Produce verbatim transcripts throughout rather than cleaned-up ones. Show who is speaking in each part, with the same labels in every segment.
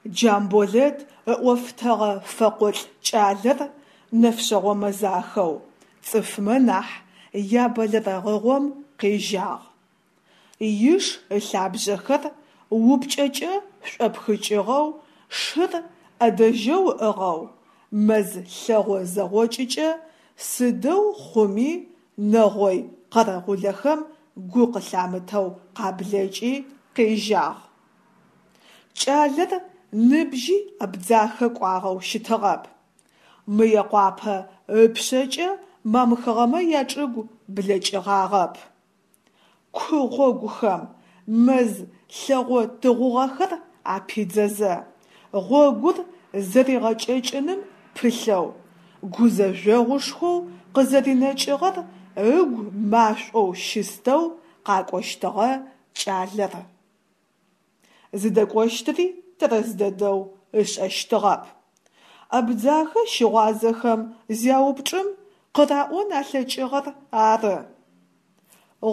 Speaker 1: Джамболэт ыӏофтэгъэ фэкъолӏ кӏалэр нэфшъэгъо мэзахэу, цӏыфмэ нахь ябэлэрэгъыгъом къежьагъ. Иш ылъабжъэхэр упкӏэкӏэ шӏопхыкӏыгъэу, шыр ӏэдэжьэу ыӏыгъэу, мэз лъэгъо зэгъокӏыкӏэ сыдэу хъуми нэгъой къэрэгъулэхэм гу къылъамытэу къаблэкӏи къежьагъ. Кӏалэр ныбжьи Абдзахэ кӏуагъэу щытыгъэп, Мыекъуапэ ыпшъэкӏэ мамхыгъэмэ ячӏыгу блэкӏыгъагъэп. Ку гъогухэм мэз лъэгъо тыгъугъэхэр апидзэзэ, гъогур зэригъэкӏэкӏыным пылъэу, гузэжъогъушхоу къызэринэкӏыгъэр ыгу машӏоу щыстэу къакӏощтыгъэ кӏалэр. Зыдэкӏощтыри тэрэз дэдэу ышӏэщтыгъэп. Абдзахэ щыгъуазэхэм зяупчӏым, къыраӏон алъэкӏыгъэр ары: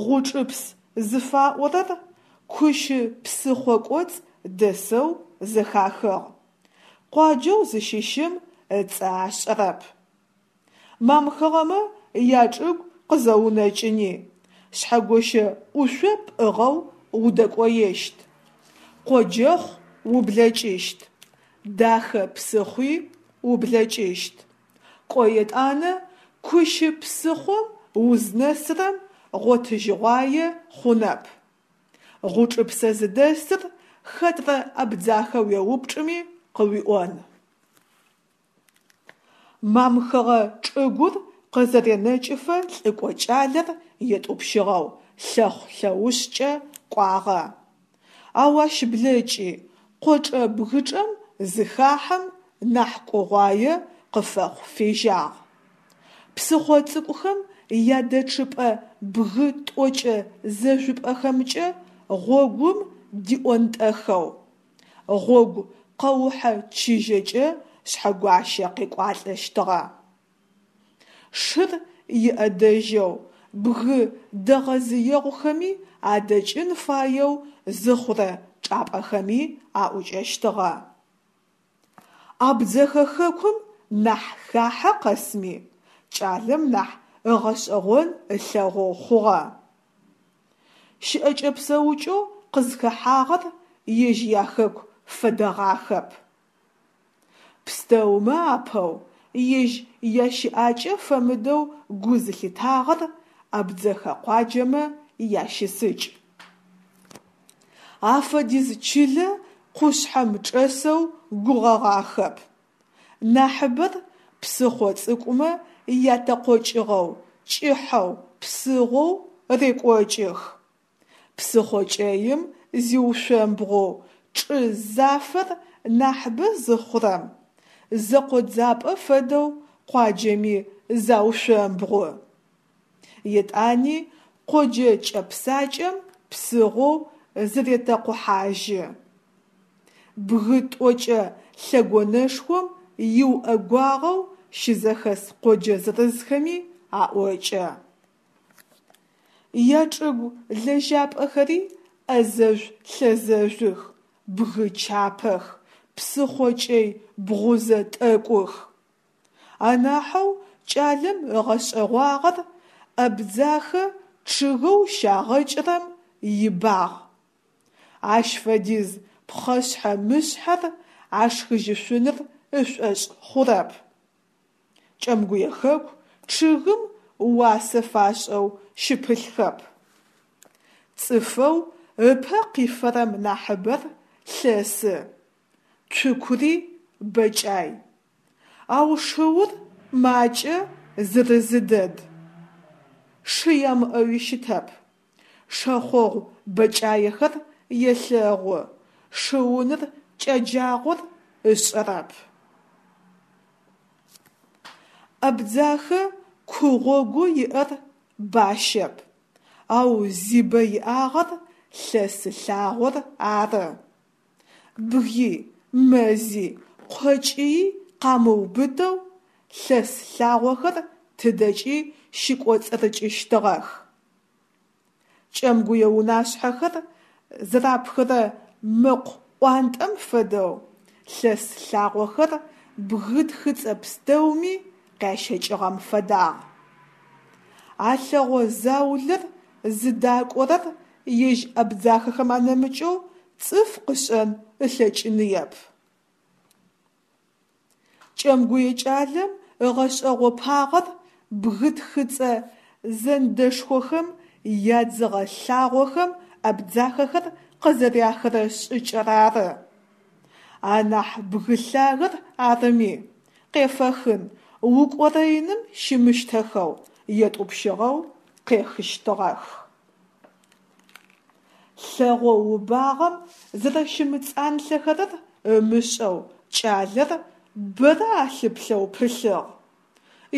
Speaker 1: Гъучӏыпс зыфаӏорэр Кущы псыхъо кӏоцӏ дэсэу зэхахыгъ, къуаджэу зыщыщым ыцӏэ ашӏэрэп. Мамхыгъэмэ ячӏыгу къызэунэкӏыни, Шъхьэгощэ ӏушъо пӏыгъэу удэкӏоещт, Къоджэхъу ублэкӏыщт, Дахэ псыхъуи ублэкӏыщт, кӏо етӏанэ Кущы псыхъом узнэсырэм гъотыжьыгъуае хъунэп. Гъучӏыпсэ зыдэсыр хэтрэ абдзахэ уеупчӏыми къыуиӏон. Мамхыгъэ чӏыгур къызэренэкӏыфэ лӏыкӏо кӏалэр етӏупщыгъэу лъэхъу-лъэушъкӏэ кӏуагъэ. Ау ащ блэкӏи, къочӏэ бгычӏэм зыхахьэм, нахь кӏугъуае къыфэхъу фежьагъ. Псыхъо цӏыкӏухэм ядэчъыпӏэ бгы тӏокӏэ зэжъупӏэхэмкӏэ гъогум диӏонтӏэхэу, гъогу къэухьэ чыжьэкӏэ Шъхьэгуащэ къекӏуалӏэщтыгъэ. Шыр иӏэдэжьэу, бгы дэгъэзыегъухэми адэкӏын фаеу зыхъурэ чӏапӏэхэми аӏукӏэщтыгъэ. Абдзэхэ хэкум нахь хахьэ къэсми, кӏалэм нахь ыгъэшӏэгъон ылъэгъоу хъугъэ. Щыӏэкӏэ-псэукӏэу къызхэхьагъэр ежь яхэку фэдэгъахэп. Пстэумэ апэу, ежь ящыӏакӏэ фэмыдэу гу зылъитагъэр абдзэхэ къуаджэмэ ящысыкӏ. Афэдиз чылэ къушъхьэм чӏэсэу гугъэгъахэп. Нахьыбэр псыхъо цӏыкӏумэ ятэкъокӏыгъэу, кӏыхьэу, псыгъоу рекӏокӏых. Псыхъо кӏэим зиушъомбгъоу, чӏы зафэр нахьыбэ зыхъурэм, зэкъодзапӏэ фэдэу къуаджэми заушъомбгъу. Етӏани къоджэ кӏэпсакӏэм псыгъоу зыретэкъухьажьы. Бгы тӏокӏэ лъэгонэшхом иуӏэгуагъэу щызэхэс къоджэ зырызхэми аӏокӏэ. Ячӏыгу лэжьапӏэхэри ӏэзэжъу-лъэзэжъух, бгы чапэх, псыхъо кӏэй бгъузэ тӏэкӏух. Анахьэу кӏалэм ыгъэшӏэгъуагъэр Абдзахэ чъыгэу щагъэкӏырэм ибагъ. Ащ фэдиз пхъэшъхьэ-мышъхьэр ашхыжьышъуныр ышӏошъ хъурэп. Кӏэмгуе хэку чъыгым уасэ фашӏэу щыпылъхэп. Цӏыфэу ыпэ къифэрэм нахьыбэр лъэсы, цукури бэкӏай. Ау шыур макӏэ, зырызы дэд. Шы ямыӏэуи щытэп. Шэхъогъу бэкӏаехэр елъэгъу, шыуныр кӏэджагъор ышӏэрэп. Абдзахэ ку гъогоу иӏэр бащэп, ау зибэ иӏагъэр лъэсы лъагъор ары. Бгы, мэзи, къокӏии къамыубытэу лъэс лъагъохэр тыдэкӏи щыкӏоцӏырыкӏыщтыгъэх. Кӏэмгуе унашъхьэхэр зэрапхырэ мэкъу ӏуантӏэм фэдэу лъэс лъагъохэр бгы тхыцӏэ пстэуми къящэкӏыгъэм фэдагъ. А лъэгъо заулэр зыдакӏорэр ежь абдзахэхэм анэмыкӏэу цӏыф къышӏэн ылъэкӏыныеп. Кӏэмгуе кӏалэм ыгъэшӏэгъопагъэр бгы тхыцӏэ зэндэшхохэм ядзыгъэ лъагъохэм абдзахэхэр къызэряхырэ шӏыкӏэр ары. Анахь бгы лъагэр арыми, къефэхын, укӏорэиным щымыщтэхэу, етӏупщыгъэу къехыщтыгъэх. Лъэгъо убагъэм зэрэщымыцӏанлъэхэрэр ымышӏэу кӏалэр бэрэ алъыплъэу пылъыгъ.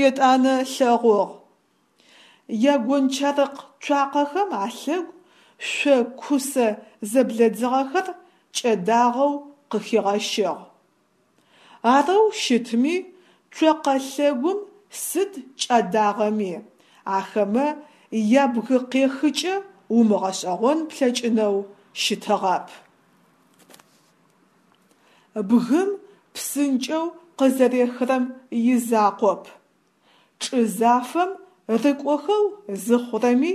Speaker 1: Етӏанэ ылъэгъугъ: ягончарыкъ цуакъэхэм алъэгу шъо кусэ зэблэдзыгъэхэр кӏэдагъэу къыхигъэщыгъ. Арэу щытми, цокъэ лъэгум сыд кӏадагъэми, ахэмэ ябгыкъехыкӏэ умыгъэшӏэгъон плъэкӏынэу щытыгъэп. Бгым псынкӏэу къызэрехырэм изакъоп, чӏы зафэм рыкӏохэу зыхъурэми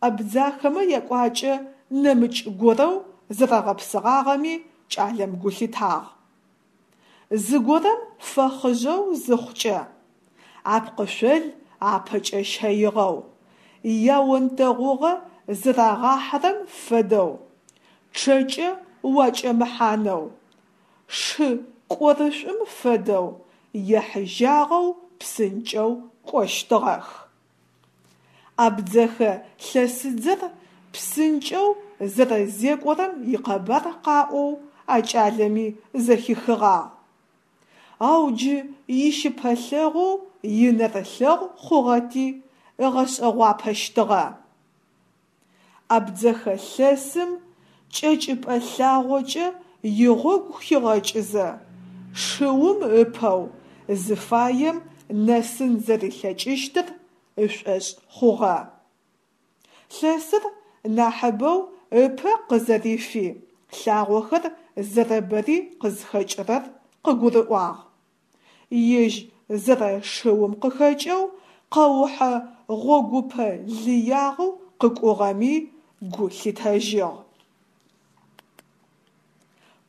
Speaker 1: абдзахэмэ якӏуакӏэ нэмыкӏ горэу зэрэгъэпсыгъагъэми кӏалэм гу лъитагъ. Зыгорэм фэхъыжъэу зыхъукӏэ, апкъышъол апэкӏэ щэигъэу, яонтэгъугъэ зырагъахьырэм фэдэу, чъэкӏэ уакӏэмыхьанэу, шы кӏорышӏум фэдэу ехьыжьагъэу псынкӏэу кӏощтыгъэх. Абдзэхэ лъэсыдзэр псынкӏэу зэрэзекӏорэм икъэбар къаӏоу а кӏалэми зэхихыгъагъ. Ау джы ищыпэлъэгъоу, инэрылъэгъу хъугъэти, ыгъэшӏэгъуапэщтыгъэ. Абдзэхэ лъэсым кӏэкӏыпӏэ лъагъокӏэ игъогу хигъэкӏызэ, шыум ыпэу зыфаем нэсын зэрилъэкӏыщтыр ышӏошъ хъугъэ. Лъэсыр нахьыбэу ыпэ къызэрифи, лъагъохэр зэрэбэри къызхэкӏырэр къыгурыӏуагъ. Ежь зэрэшыум къыхэкӏэу къэухьэ гъогупэ лыягъэу къыкӏугъэми гу лъитэжьыгъ.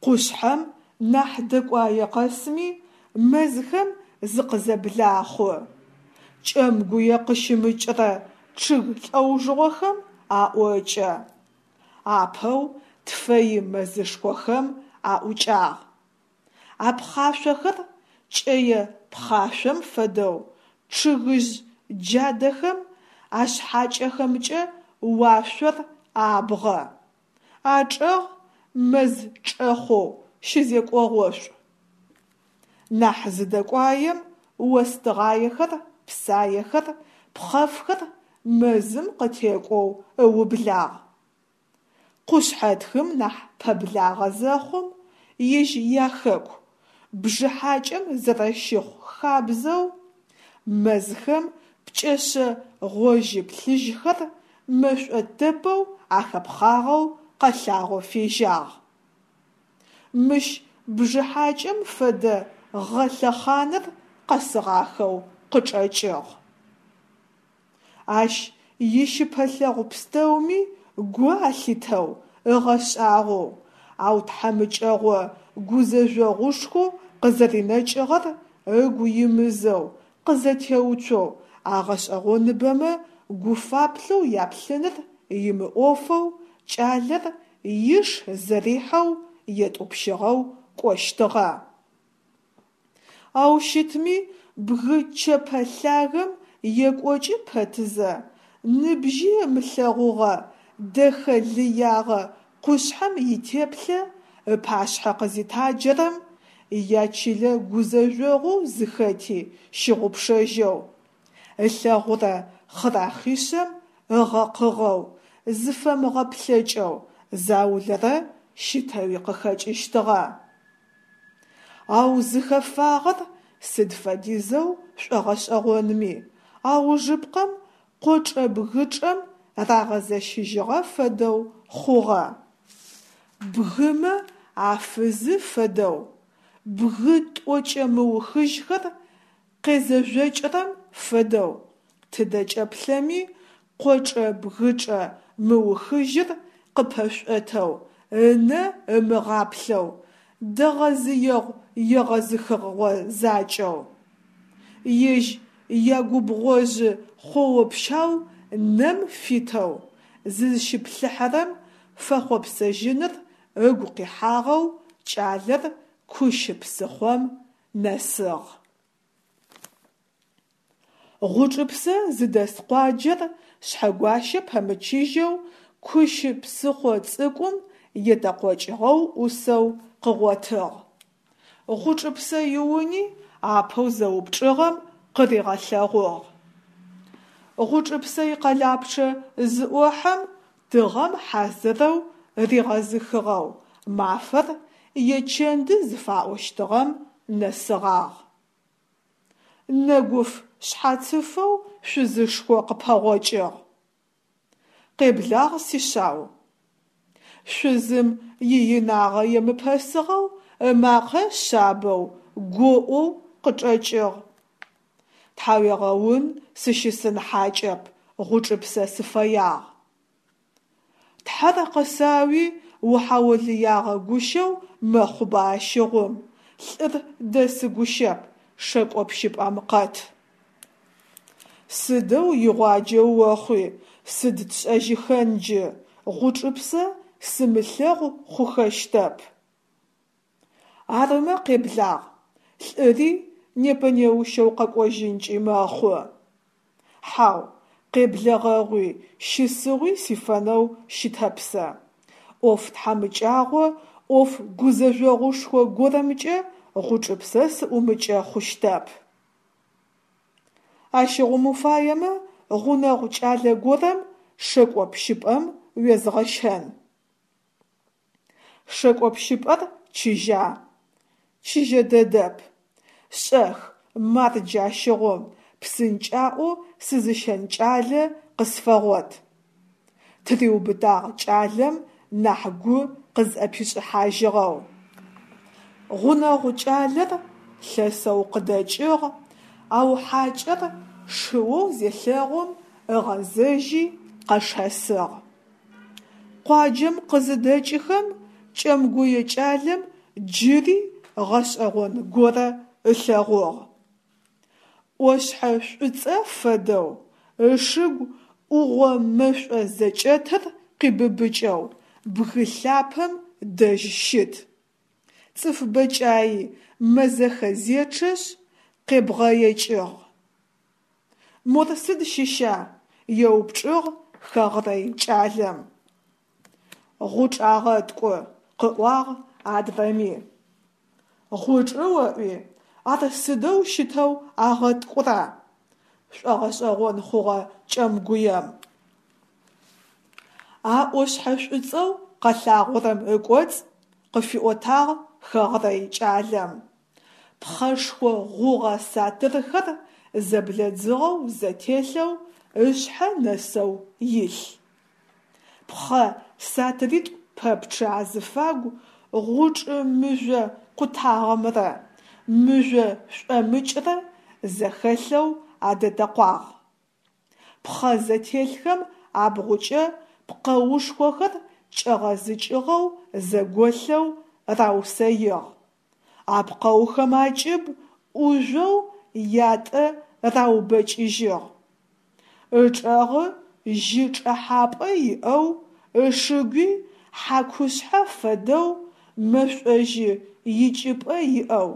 Speaker 1: Къушъхьэм нахь дэкӏуае къэсми мэзхэм зыкъызэблахъу, Кӏэмгуе къыщымыкӏырэ чъыг лӏэужыгъохэм аӏокӏэ. Апэу тфэи мэзышхохэм аӏукӏагъ. Апхъашъохэр кӏэе пхъашъом фэдэу чъыгыжъ джадэхэм ашъхьакӏэхэмкӏэ уашъор абгъэ, ачӏэгъ мэз чӏэхъоу щызекӏогъошӏу. Нахь зыдэкӏуаем, остыгъаехэр, псаехэр, пхъэфхэр мэзым къытекӏоу ыублагъ. Къушъхьэтхым нахь пэблагъэ зэхъум, ежь яхэку, бжыхьакӏэм зэрэщыхъу хабзэу, мэзхэм пкӏэшъэ гъожьы-плъыжьхэр мэшӏо тэпэу ахэпхъагъэу къэлъагъо фежьагъ. Мыщ бжыхьакӏэм фэдэ гъэ лъэхъаныр къэсыгъахэу къычӏэкӏыгъ. Ащ ищыпэлъэгъу пстэуми гу алъитэу, ыгъэшӏагъоу, ау тхьамыкӏэгъо гузэжъогъушхоу къызэринэкӏыгъэр ыгу имызэу, къызэтеуцоу, а гъэшӏэгъоныбэмэ гуфаплъэу яплъыныр имыӏофэу кӏалэр иш зэрихьэу етӏупщыгъэу кӏощтыгъэ. Ау щытми, бгы чэпэ лъагэм екӏокӏы пэтызэ, ныбжьи ымылъэгъугъэ дэхэ лыягъэ къушъхьэм итеплъэ ыпашъхьэ къызитаджэрэм, ячылэ гузэжъогъоу зыхэти щыгъупшэжьэу, ылъэгъурэ хъырахъишъэм ыгъэкъыгъэу, зыфэмыгъэплъэкӏэу заулэрэ щытэуи къыхэкӏыщтыгъэ. Ау зыхэфагъэр сыд фэдизэу шӏогъэшӏэгъонми, аужыпкъэм къочӏэ-бгычӏэм рагъэзэщыжьыгъэ фэдэу хъугъэ. Бгымэ афызы фэдэу Бгы тӏокӏэ мыухыжьхэр къезэжъокӏырэм фэдэу, тыдэкӏэ плъэми къочӏэ-бгычӏэ мыухыжьыр къыпэшӏотэу, ынэ ымыгъаплъэу, дэгъэзыегъу-егъэзыхыгъо закӏэу. Ежь ягубгъожъы хъоо-пщау нэм фитэу зызщиплъыхьэрэм фэхъопсэжьыныр ыгу къихьагъэу кӏалэр Кущы псыхъом нэсыгъ. Гъучӏыпсэ зыдэс къуаджэр Шъхьэгуащэ пэмычыжьэу Кущы псыхъо цӏыкӏум етэкъокӏыгъэу ӏусэу къыгъотыгъ. Гъучӏыпсэ иуни апэу зэупчӏыгъэм къыригъэлъэгъугъ. Гъучӏыпсэ икъэлапчъэ зыӏохьэм, тыгъэм хьазырэу ригъэзыхыгъэу, мафэр ечэнды зыфаӏощтыгъэм нэсыгъагъ. Нэгуф шъхьацыфэу шъузышхо къыпэгъокӏыгъ. Къеблагъ, сишъау! Шъузым иинагъэ емыпэсыгъэу ымакъэ шъабэу, гоӏоу къычӏэкӏыгъ. Тхьауегъэун, сыщысын хьакӏэп, Гъучӏыпсэ сыфэягъ. Тхьэр къысауи, ухьаолыягъэ гущэу мэхъуба ащыгъум, лӏыр дэсы гущэп, шэкӏо пщыпӏэм къэт. Сыдэу игъуаджэ охъуи, сыд тшӏэжьыхэн джы, Гъучӏыпсэ сымылъэгъу хъухэщтэп. Арымэ къеблагъ, лӏыри непэ-неущэу къэкӏожьынкӏи мэхъу. Хьау, къеблэгъэгъуи, щысыгъуи сифэнэу щытэп сэ, ӏоф тхьамыкӏагъо, ӏоф гузэжъогъушхо горэмкӏэ Гъучӏыпсэ сыӏумыкӏэ хъущтэп. Ащыгъум уфаемэ, гъунэгъу кӏалэ горэм шэкӏо пщыпӏэм уезгъэщэн. Шэкӏо пщыпӏэр чыжьа? Чыжьэ дэдэп. Шӏэх, мардж ащыгъум, псынкӏаӏоу сызыщэн кӏалэ къысфэгъот, – тыриубытагъ кӏалэм нахь гу къызӏэпишӏыхьажьыгъэу. Гъунэгъу кӏалэр лъэсэу къыдэкӏыгъ, ау хьакӏэр шыоу зелъэгъум ыгъэзэжьи къэшэсыгъ. Къуаджэм къызыдэкӏыхэм кӏэмгуе кӏалэм джыри гъэшӏэгъон горэ ылъэгъугъ. Ӏошъхьэ шӏуцӏэ фэдэу, ышыгу ӏугъо мэшӏо зэкӏэтыр къибыбыкӏэу бгы лъапэм дэжь щыт. Цӏыф бэкӏаи мэзэхэ зечъэшъ къебгъэекӏыгъ. Мор сыд щыща? – еупчӏыгъ хэгърэй кӏалэм. Гъучӏ агъэткӏу, – къыӏуагъ адрэми. Гъучӏы оӏуи? Ар сыдэу щытэу агъэткӏура? – шӏогъэшӏэгъон хъугъэ кӏэмгуем. А ӏошъхьэ шӏуцӏэу къэлъагъорэм ыкӏоцӏ, къыфиӏотагъ хэгърэй кӏалэм, пхъэшхо гъугъэ сатырхэр зэблэдзыгъэу зэтелъэу ышъхьэ нэсэу илъ. Пхъэ сатыритӏу пэпчъы азыфагу гъучӏы мыжъо къутагъэмрэ мыжъо шӏомыкӏрэ зэхэлъэу адэтэкъуагъ. Пхъэ зэтелъхэм абгъукӏэ пкъэушхохэр кӏэгъэзыкӏыгъэу зэголъэу раусэигъ. А пкъэухэм акӏыб ӏужъоу ятӏэ раубэкӏыжьыгъ. Ычӏэгъы жьы чӏэхьапӏэ иӏэу, ышыгуи хьакушъхьэ фэдэу мэшӏожьы икӏыпӏэ иӏэу,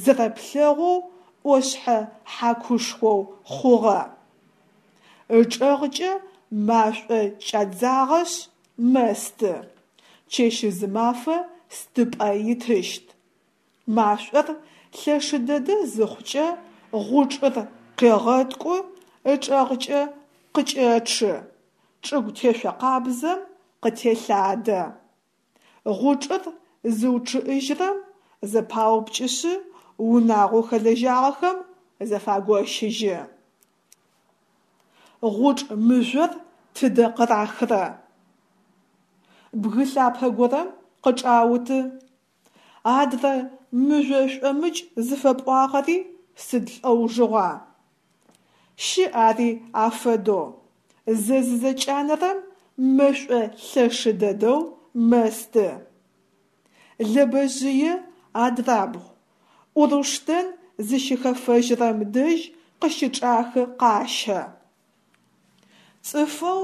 Speaker 1: зэрэплъэгъоу ӏошъхьэ хьакушхоу хъугъэ. Ычӏэгъкӏэ машӏо кӏадзагъэшъ мэсты, чэщ-зымафэ стыпӏэ итыщт. Машӏор лъэшы дэдэ зыхъукӏэ гъучӏыр къегъэткӏу, ычӏэгъкӏэ къыкӏэчъы, чӏыгу тешъо къабзэм къытелъадэ. Гъучӏыр зыучъыӏыжьырэм, зэпаупкӏышъы унагъоу хэлэжьагъэхэм зэфагощыжьы. Гъучӏ мыжъор тыдэ къырахрэ? Бгы лъапэ горэм къычӏауты. Адрэ мыжъо шӏомыкӏ зыфэпӏуагъэри сыд лӏэужыгъуа? Щыӏ ари афэдэу, зэ зызэкӏанэрэм мэшӏо лъэшы дэдэу мэсты. Лэбэжъые адрабгъу, Ӏуруштэн зыщыхэфэжьырэм дэжь къыщычӏахы къащэ. Цӏыфэу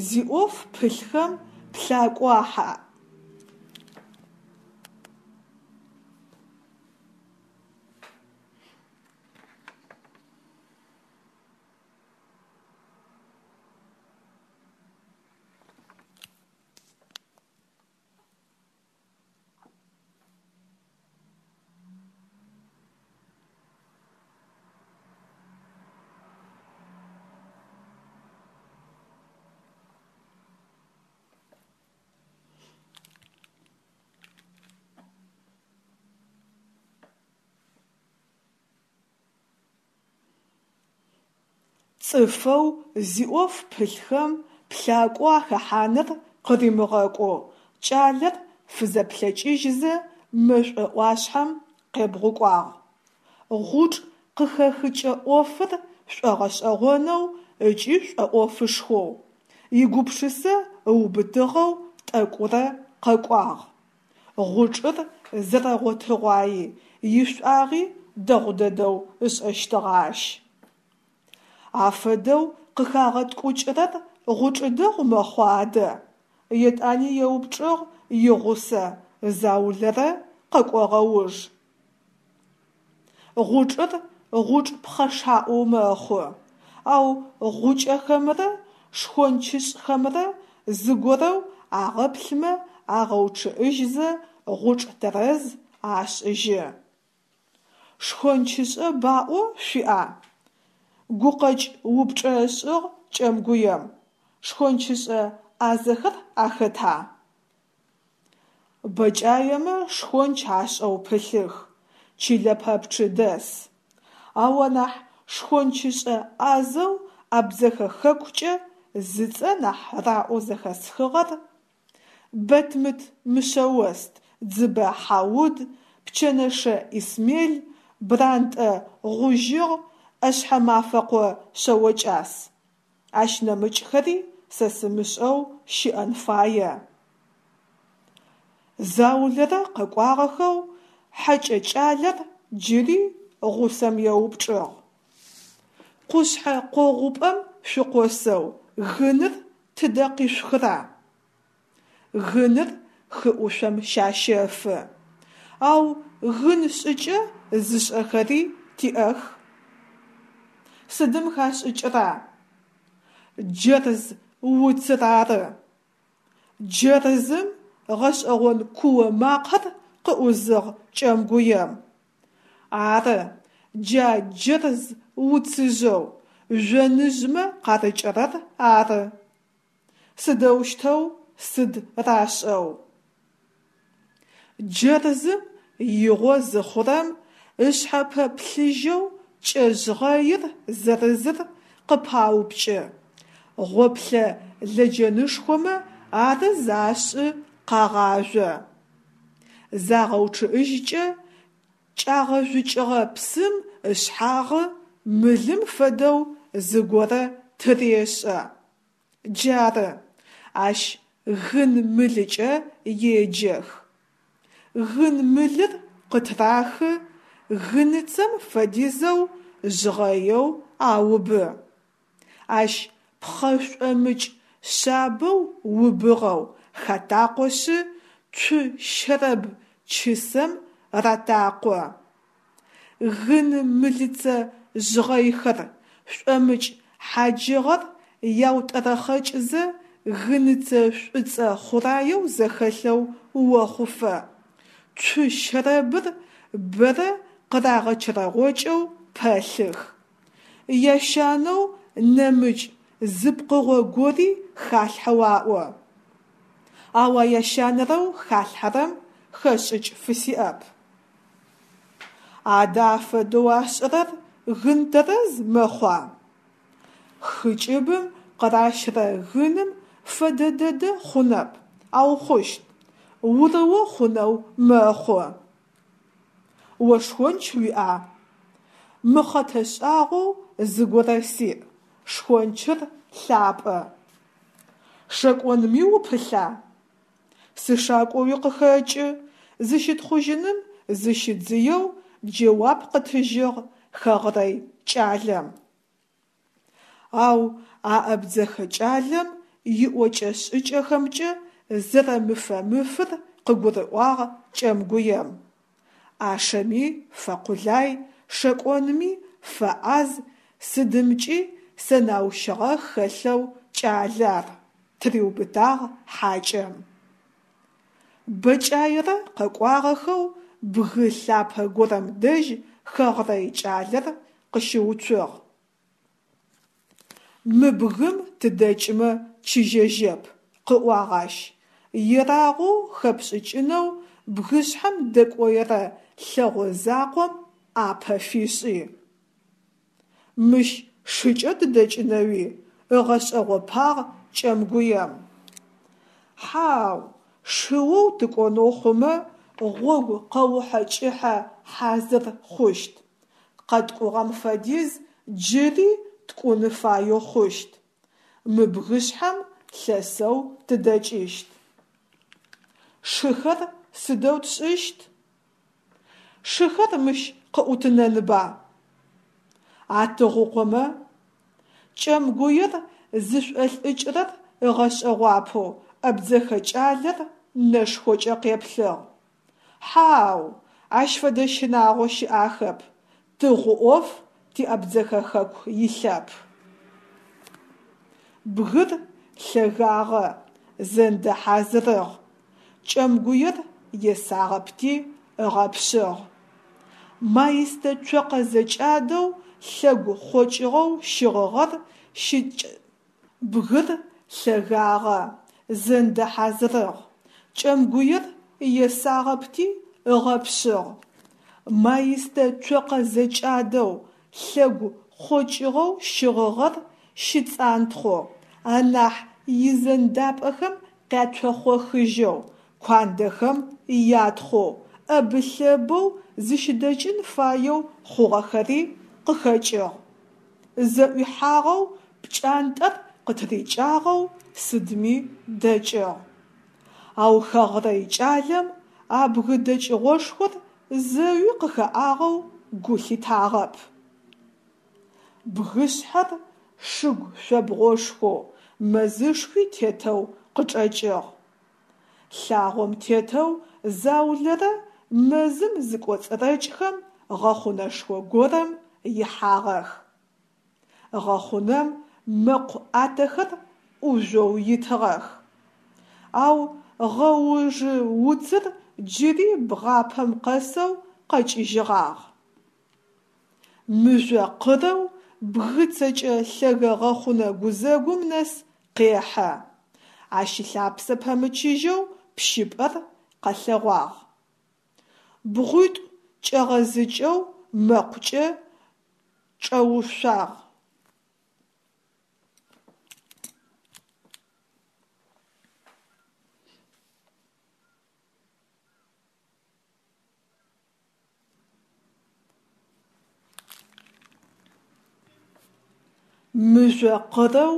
Speaker 1: зиӏоф пылъхэм плъакӏо ахьа. Цӏыфэу зиӏоф пылъхэм плъакӏо ахэхьаныр къыримыгъэкӏоу кӏалэр фызэплъэкӏыжьызэ мэшӏо ӏуашъхьэм къебгъукӏуагъ. Гъучӏ къыхэхыкӏэ ӏофыр шӏогъэшӏэгъонэу ыкӏи шӏоӏофышхоу, игупшысэ ыубытыгъэу тӏэкӏурэ къэкӏуагъ. Гъучӏыр зэрэгъотыгъуайи, ишӏуагъи дэгъу дэдэу ышӏэщтыгъэ ащ. Афэдэу къыхагъэткӏукӏырэр гъучӏ дэгъу мэхъуа адэ? Етӏани еупчӏыгъ игъусэ заулэрэ къэкӏогъэ уж. Гъучӏыр гъучӏ пхъэшаӏоу мэхъу, ау гъукӏэхэмрэ шхончышӏхэмрэ зыгорэу агъэплъымэ агъэучъыӏыжьызэ гъучӏ тэрэз ашӏыжьы. Шхончышӏэ баӏо шъуиӏа? Гукъэкӏ упчӏэ ышӏыгъ кӏэмгуем, шхончышӏэ ӏазэхэр ахэта? Бэкӏаемэ шхонч ашӏэу пылъых, чылэ пэпчъы дэс. Ау анахь шхончышӏэ ӏазэу Абдзэхэ хэкукӏэ зыцӏэ нахь раӏоу зэхэсхыгъэр Бэтмыт Мышъэост, Дзыбэ Хьауд, Пчэнэшэ Исмел, Брантӏэ Гъужьыгъ, ӏэшъхьэмафэкъо Шъэокӏас. Ащ нэмыкӏхэри сэ сымышӏэу щыӏэн фае. Заулэрэ къэкӏуагъэхэу хьэкӏэ кӏалэр джыри гъусэм еупчӏыгъ: Къушъхьэ къогъупӏэм шъукъосэу гыныр тыдэ къишъухыра? Гыныр хы ӏушъом щащэфы. Ау гын шӏыкӏэ зышӏэхэри тиӏэх. Сыдым хашӏыкӏыра? Джэрз уцыр ары. Джэрзым? Гъэшӏэгъон куо макъэр къыӏузыгъ кӏэмгуем. Ары, джа джэрз уцыжъэу жъоныжъмэ къарыкӏырэр ары. Сыдэущтэу, сыд рашӏэу? Джэрзым игъо зыхъурэм ышъхьэпэ плъыжьэу кӏэ жъгъэир зырызыр къыпаупкӏы, гъоплъэ лэджэнышхомэ арыз ашӏы къагъажъо. Загъэучъыӏыжькӏэ кӏагъэжъукӏыгъэ псым ышъхьагъы мылым фэдэу зыгорэ тырешӏэ. Джары, ащ гын мылыкӏэ еджэх. Гын мылыр къытырахы, гыныцэм фэдизэу жъгъэеу аубы. Ащ пхъэ шӏомыкӏ шъабэу убыгъэу хатакъошъы цу щэрэб чысэм ратакъо. Гын мылыцэ жъгъэйхэр, шӏомыкӏ хьаджыгъэр яутӏэрэхъэкӏызэ гыныцэ шӏуцӏэ хъураеу зэхэлъэу охъуфэ, цу щэрэбыр бэрэ къырагъэчэрэгъокӏэу пэлъых. Ящанэу нэмыкӏ зы пкъыгъо гори халъхьэу аӏо. Ау а ящанэрэу халъхьэрэм хэшӏыкӏ фысиӏэп. Адэ афэдэу ашӏырэр гын тэрэз мэхъуа? Хы кӏыбым къыращырэ гыным фэдэ дэдэ хъунэп, ау хъущт, урыо хъунэу мэхъу. О шхонч уиӏа? Мыхъэтэ шӏагъоу зыгорэ сиӏ, шхончыр лъапӏэ. Шэкӏонми упылъа? Сышакӏоуи къыхэкӏы, зыщытхъужьыным зыщидзыеу джэуап къытыжьыгъ хэгърэй кӏалэм. Ау а абдзэхэ кӏалэм иӏокӏэ-шӏыкӏэхэмкӏэ зэрэмыфэмыфыр къыгурыӏуагъ кӏэмгуем. Ӏашэми фэкъулай, шэкӏонми фэӏаз, сыдымкӏи сэнаущыгъэ хэлъэу кӏалэ ар, тыриубытагъ хьакӏэм. Бэкӏаерэ къэкӏуагъэхэу бгы лъапэ горэм дэжь хэгърэй кӏалэр къыщыуцугъ. Мы бгым тыдэкӏмэ чыжьэжьэп, къыӏуагъ ащ, ерагъоу хэпшӏыкӏынэу бгышъхьэм дэкӏоерэ лъэгъо закъом ӏапэ фишӏи. Мыщ шыкӏэ тыдэкӏынэуи? – ыгъэшӏэгъопагъ кӏэмгуем. Хьау, шыоу тыкӏонэу хъумэ гъогу къэухьэ кӏыхьэ хьазыр хъущт, къэткӏугъэм фэдиз джыри ткӏун фаеу хъущт. Мы бгышъхьэм лъэсэу тыдэкӏыщт. Шыхэр сыдэу тшӏыщт? Шыхэр мыщ къыӏутынэнба? Атыгъукъомэ? Кӏэмгуер зышӏолӏыкӏырэр ыгъэшӏэгъуапэу абдзэхэ кӏалэр нэшхокӏэ къеплъыгъ. Хьау, ащ фэдэ щынагъо щыӏахэп, тыгъу ӏоф ти Абдзэхэ хэку илъэп. Бгыр лъэгагъэ, зэндэ хьазырыгъ. Кӏэмгуер есагъэпти ыгъэпшъыгъ. Маистэ цокъэ зэкӏадэу лъэгу хъокӏыгъэу щыгъыгъэр щыкӏ. Бгыр лъэгагъэ, зэндэ хьазырыгъ. Кӏэмгуер есагъэпти ыгъэпшъыгъ. Маистэ цокъэ зэкӏадэу лъэгу хъокӏыгъэу щыгъыгъэр щыцӏантхъоу, анахь изэндапӏэхэм къяцохъохыжьэу, куандэхэм ятхъоу, ӏэбы-лъэбэу зыщыдэкӏын фаеу хъугъэхэри къыхэкӏыгъ. Зэӏуихьагъэу, пкӏантӏэр къытырикӏагъэу сыдми дэкӏыгъ. Ау хэгърэй кӏалэм а бгы дэкӏыгъошхор зэуи къыхэӏагъэу гу лъитагъэп. Бгышъхьэр шыгу шъобгъошхоу, мэзышхуи тетэу къычӏэкӏыгъ. Лъагъом тетэу заулэрэ мэзым зыкӏоцӏырэкӏхэм гъэхъунэшхо горэм ихьагъэх. Гъэхъунэм мэкъу ӏатэхэр ӏужъоу итыгъэх. Ау гъэужъы уцыр джыри бгъапэм къэсэу къэкӏыжьыгъагъ. Мыжъо къырэу бгы цэкӏэ лъэгэ гъэхъунэ гузэгум нэс къехьэ. Ащ ылъапсэ пэмычыжьэу пщыпӏэр къэлъэгъуагъ. Бгъуитӏу кӏэгъэзыкӏэу мэкъукӏэ чӏэушъагъ. Мыжъо къырэу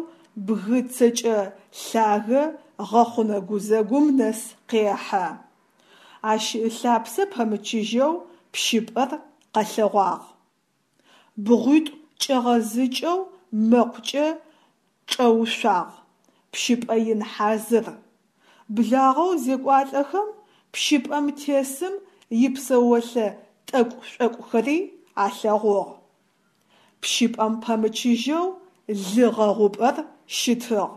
Speaker 1: бгы цэкӏэ лъагэ гъэхъунэ гузэгум нэс къехьэ. Ащ ылъапсэ пэмычыжьэу пщыпӏэр къэлъэгъуагъ. Бгъуитӏу кӏэгъэзыкӏэу мэкъукӏэ чӏэушъагъ, пщыпӏэ ин хьазыр. Благъэу зекӏуалӏэхэм пщыпӏэм тесым ипсэолъэ тӏэкӏу-шӏокӏухэри алъэгъугъ. Пщыпӏэм пэмычыжьэу лы гъэгъупӏэр щытыгъ.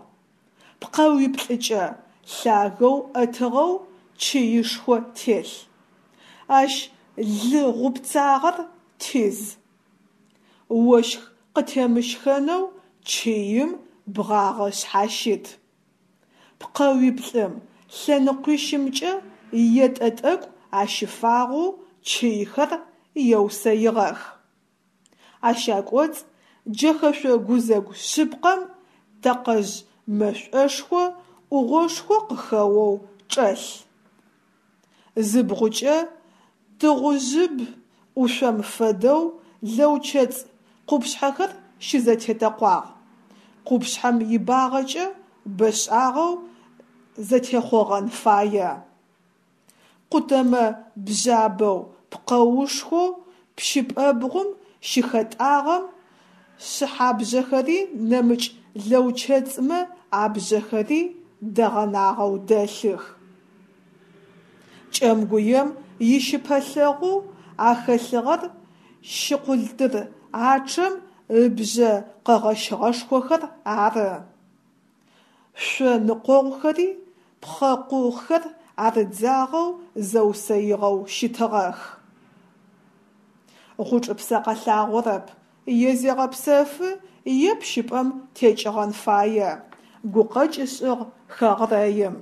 Speaker 1: Пкъэуиплӏыкӏэ лъагэу ӏэтыгъэу чыишхо телъ. Ащ лы гъупцагъэр тиз. Ощх къытемыщхэнэу чыим бгъагъэ шъхьащыт. Пкъэуиплӏым лъэныкъуищымкӏэ етӏэ тӏэкӏу ащыфагъэу чыйхэр еусэигъэх. Ащ акӏоцӏ джэхэшъо гузэгу шъыпкъэм тэкъэжъ мэшӏошхо ӏугъошхо къыхэоу чӏэлъ. Зыбгъукӏэ тыгъужъыб ӏушъом фэдэу лэучэцӏ къупшъхьэхэр щызэтетэкъуагъ, къупшъхьэм ибагъэкӏэ бэшӏагъэу зэтехъогъэн фае. Къутэмэ бжъабэу пкъэушхоу пщыпӏэбгъум щыхэтӏагъэм шъыхьабжъэхэри нэмыкӏ лэучэцӏмэ абжъэхэри дэгъэнагъэу дэлъых. Кӏэмгуем ищыпэлъэгъоу ахэлъыгъэр щыкъултыр ачъэм ыбжъэ къэгъэщыгъэшхохэр ары. Шъо ныкъогъухэри пхъэкъухэр арыдзагъэу зэусэигъэу щытыгъэх. Гъучӏыпсэ къэлъагъорэп, е зегъэпсэфы, е пщыпӏэм текӏыгъэн фае, гукъэкӏ ышӏыгъ хэгърэим.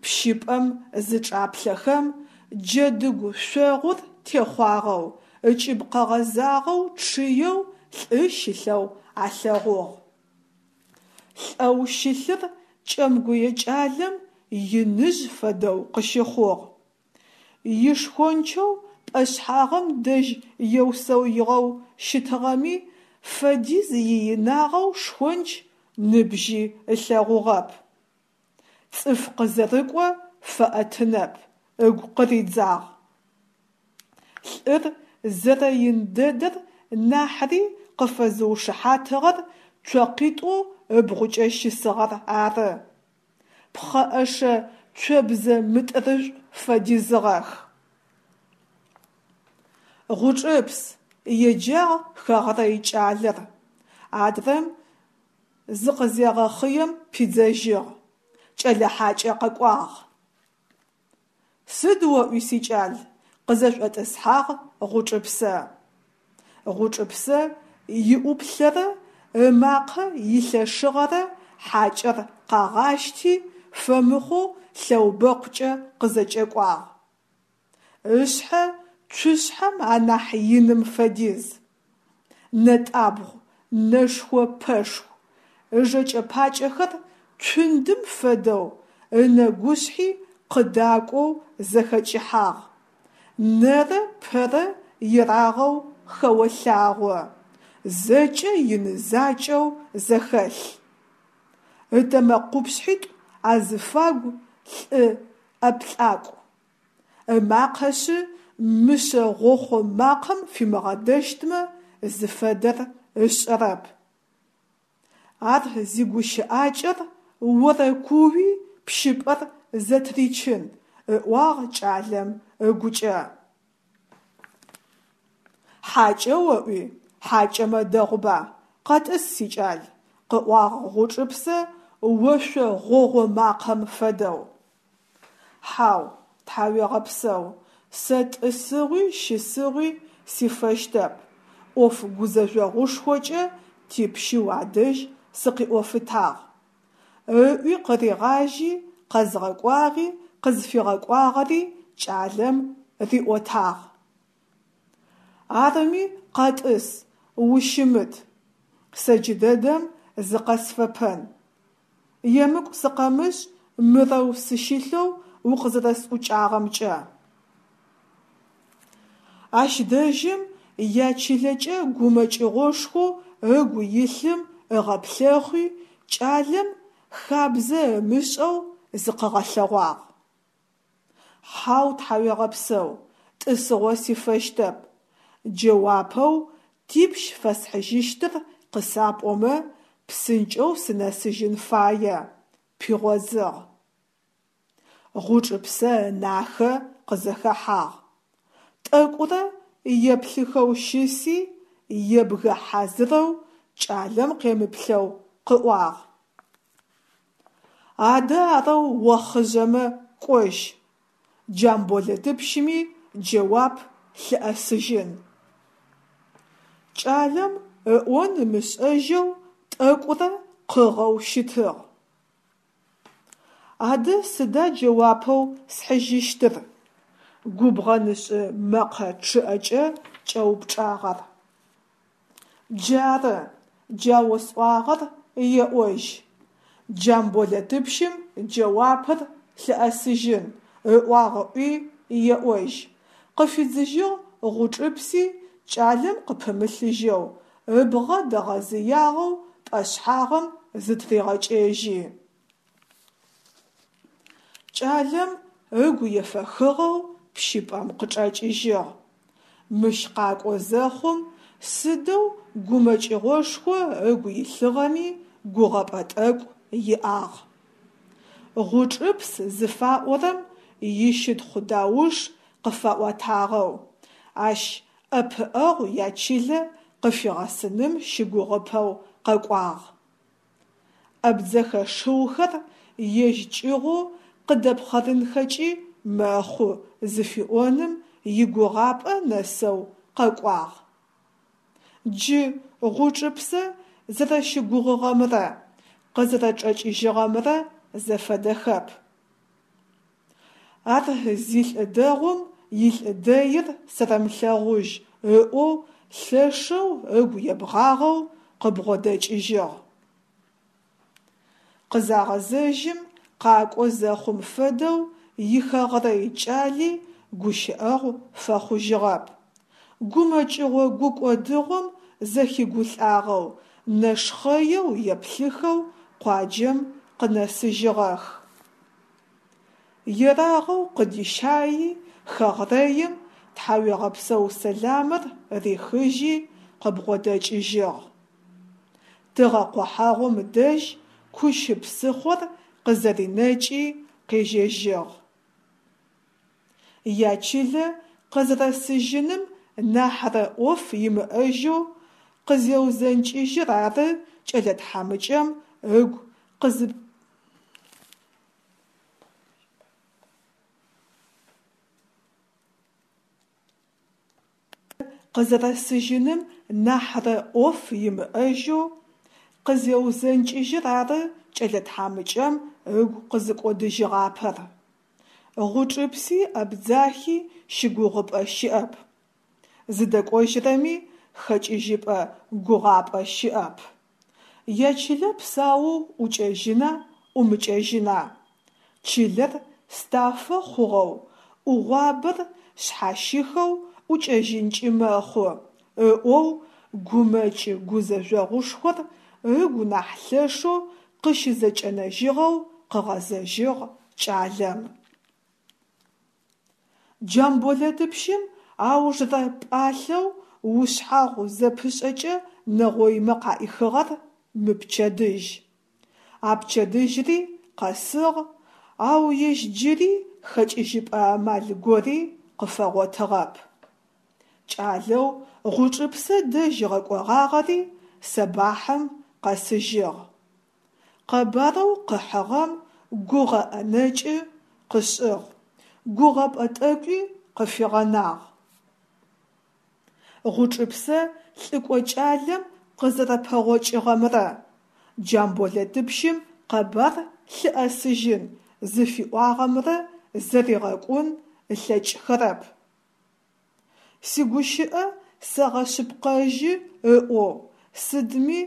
Speaker 1: Пщыпӏэм зычӏаплъэхэм, джэдыгу шъогъур техъуагъэу, ыкӏыб къэгъэзагъэу чъыеу лӏы щылъэу алъэгъугъ. Лӏэу щылъыр кӏэмгуе кӏалэм иныжъ фэдэу къыщыхъугъ. Ишхончэу пӏэшъхьагъым дэжь еусэигъэу щытыгъэми фэдиз иинагъэу шхонч ныбжьи ылъэгъугъэп. Цӏыф къызэрыкӏо фэӏэтынэп, ыгу къыридзагъ. Лӏыр зэрэин дэдэр нахьыри къыфэзыушыхьатыгъэр цокъитӏоу ыбгъукӏэ щысыгъэр ары. Пхъэӏэшэ цобзэ мытӏырышӏу фэдизыгъэх. «Гъучӏыпс!» – еджагъ хэгърэй кӏалэр, адрэм зыкъызегъэхъыем пидзэжьыгъ: «Кӏэлэ хьакӏэ къэкӏуагъ!» «Сыд оӏуи, сикӏал?» – къызэшӏотӏысхьагъ Гъучӏыпсэ. Гъучӏыпсэ иӏуплъэрэ ымакъэ илъэшыгъэрэ хьакӏэр къагъащти, фэмыхъоу лъэубэкъукӏэ къызэкӏэкӏуагъ. Ышъхьэ цушъхьэм анахь иным фэдиз. Нэтӏабгъу, нэшхо-пэшху, ыжэкӏэ-пакӏэхэр цундым фэдэу, ынэгушъхьи къыдакӏоу зэхэкӏыхьагъ, нэрэ пэрэ ерагъэу хэолъагъо, зэкӏэ ины закӏэу зэхэлъ. Ытэмэкъупшъхьитӏу азыфагу лӏы ӏэплӏакӏу. Ымакъэшъы мышъэ гъохъо макъэм фимыгъэдэщтмэ, зыфэдэр ышӏэрэп. Ар зигущыӏакӏэр орэкууи пщыпӏэр зэтыричын, ыӏуагъ кӏалэм ыгукӏэ. Хьакӏэ оӏуи? Хьакӏэмэ дэгъуба, къэтӏыс, сикӏал, – къыӏуагъ Гъучӏыпсэ ошъо гъогъо макъэм фэдэу. Хьау, тхьауегъэпсэу, сэ тӏысыгъуи щысыгъуи сифэщтэп, ӏоф гузэжъогъушхокӏэ типщы уадэжь сыкъиӏофытагъ, – ыӏуи къыригъажьи, къэзгъэкӏуагъи къызфигъэкӏуагъэри кӏалэм риӏотагъ. Арыми, къэтӏыс, ущымыт, сэ джыдэдэм зыкъэсфэпэн. Емыкӏу сыкъэмышӏ мырэу сыщылъэу укъызэрэсӏукӏагъэмкӏэ. Ащ дэжьым ячылэкӏэ гумэкӏыгъошхоу ыгу илъым ыгъэплъэхъуи, кӏалэм хабзэ ымышӏэу зыкъыгъэлъэгъуагъ. Хьау, тхьауегъэпсэу, тӏысыгъо сифэщтэп, джэуапэу типщ фэсхьыжьыщтыр къысапӏомэ, псынкӏэу сынэсыжьын фае, – пигъодзыгъ. Гъучӏыпсэ ынахэ къызэхэхьагъ. Тӏэкӏурэ еплъыхэу щыси, ебгэ хьазырэу кӏалэм къемыплъэу къыӏуагъ: «Адэ арэу охъыжъэмэ кӏожь, Джамболэтыпщыми джэуап лъыӏэсыжьын». Кӏалэм ыӏон ымышӏэжьэу тӏэкӏурэ къыгъэу щытыгъ. «Адэ сыда джэуапэу схьыжьыщтыр?» – губгъэнышӏы мэкъэ чъыӏэкӏэ кӏэупчӏагъ ар. Джары, джа осӏуагъэр еӏожь, Джамболэтыпщым джэуапыр лъыӏэсыжьын ыӏуагъ ыӏуи еӏожь, – къыфидзыжьыгъ Гъучӏыпси кӏалэм къыпымылъыжьэу, ыбгъэ дэгъэзыягъэу пӏэшъхьагъым зытыригъэкӏэжьи. Кӏалэм ыгу ефэхыгъэу пщыпӏэм къычӏэкӏыжьыгъ. Мыщ къакӏо зэхъум сыдэу гумэкӏыгъошхо ыгу илъыгъэми гугъэпӏэ тӏэкӏу иӏагъ. Гъучӏыпс зыфаӏорэм ищытхъу дауш къыфаӏотагъэу, ащ ӏэпыӏэгъу ячылэ къыфигъэсыным щыгугъыпэу къэкӏуагъ. Абдзэхэ шыухэр ежь кӏыгъоу къыдэпхъэрынхэкӏи мэхъу зыфиӏоным игугъапӏэ нэсэу къэкӏуагъ. Джы Гъучӏыпсэ зэрэщыгугъыгъэмрэ къызэрэчӏэкӏыжьыгъэмрэ зэфэдэхэп. Ар зилӏы дэгъум илӏы дэир сэрэмылъэгъужь ыӏоу лъэшэу ыгу ебгъагъэу къыбгъодэкӏыжьыгъ. Къызагъэзэжьым къакӏо зэхъум фэдэу ихэгърэй кӏали гущыӏэгъу фэхъужьыгъэп. Гумэкӏыгъо-гукӏодыгъом зэхигулӏагъэу, нэшхъэеу еплъыхэу къуаджэм къынэсыжьыгъэх. Ерагъэу къыдищайи хэгърэим тхьауегъэпсэу сэламыр рихыжьи къыбгъодэкӏыжьыгъ. Тыгъэкъохьагъум дэжь Кущы псыхъор къызэринэкӏи къежьэжьыгъ. Ячылэ къызэрэсыжьыным нахьрэ ӏоф имыӏэжьэу къызеузэнкӏыжьыр ары кӏэлэ тхьамыкӏэм ыгу къызэрэсыжьыным нахьрэ ӏоф имыӏэжьэу къызеузэнкӏыжьыр ары кӏэлэ тхьамыкӏэм ыгу къызыкӏодыжьыгъапэр. Гъучӏыпси Абдзахи щыгугъыпӏэ щыӏэп, зыдэкӏожьырэми хэкӏыжьыпӏэ гугъапӏэ щыӏэп. Ячылэ псаоу ӏукӏэжьына ӏумыкӏэжьына? Чылэр стафэ хъугъэу, ӏугъуабэр шъхьащихэу ӏукӏэжьынкӏи мэхъу, ыӏоу гумэкӏ-гузэжъогъушхор ыгу нахь лъэшэу къыщызэкӏэнэжьыгъэу къыгъэзэжьыгъ кӏалэм. Джамболэтыпщым аужрэ пӏалъэу ушъхьагъу зэпышӏэкӏэ нэгъоймэ къаӏихыгъэр мыпчэдыжь. А пчэдыжьри къэсыгъ, ау ежь джыри хэкӏыжьыпӏэ амал гори къыфэгъотыгъэп. Кӏалэу Гъучӏыпсэ дэжь ыгъэкӏогъагъэри сэбахьым къэсыжьыгъ. Къэбарэу къыхьыгъэм гугъэ ӏэнэкӏы къышӏыгъ, гугъэпӏэ тӏэкӏуи къыфигъэнагъ. Гъучӏыпсэ лӏыкӏо кӏалэм къызэрэпэгъокӏыгъэмрэ Джамболэтыпщым къэбар лъыӏэсыжьын зыфиӏуагъэмрэ зэригъэкӏун ылъэкӏхэрэп. Сигущыӏэ сэгъэшъыпкъэжьы ыӏоу, сыдми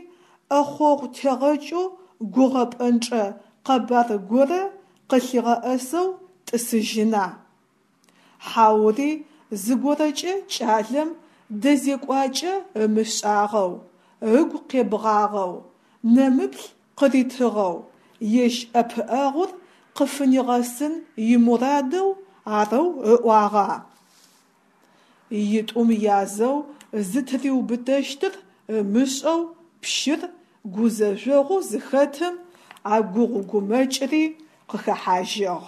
Speaker 1: ӏэхъогъу тегъэкӏэу гугъэпӏэнчъэ къэбар горэ къылъигъэӏэсэу тӏысыжьына? Хьаури зыгорэкӏэ кӏалэм дэзекӏуакӏэ ымышӏагъэу, ыгу къебгъагъэу, нэмыплъ къыритыгъэу, ежь ӏэпыӏэгъур къыфынигъэсын имурадэу арэу ыӏуагъа? Итӏум язэу зытыриубытэщтыр ымышӏэу пщыр гузэжъогъоу зыхэтым а гугъу-гумэкӏри къыхэхьажьыгъ.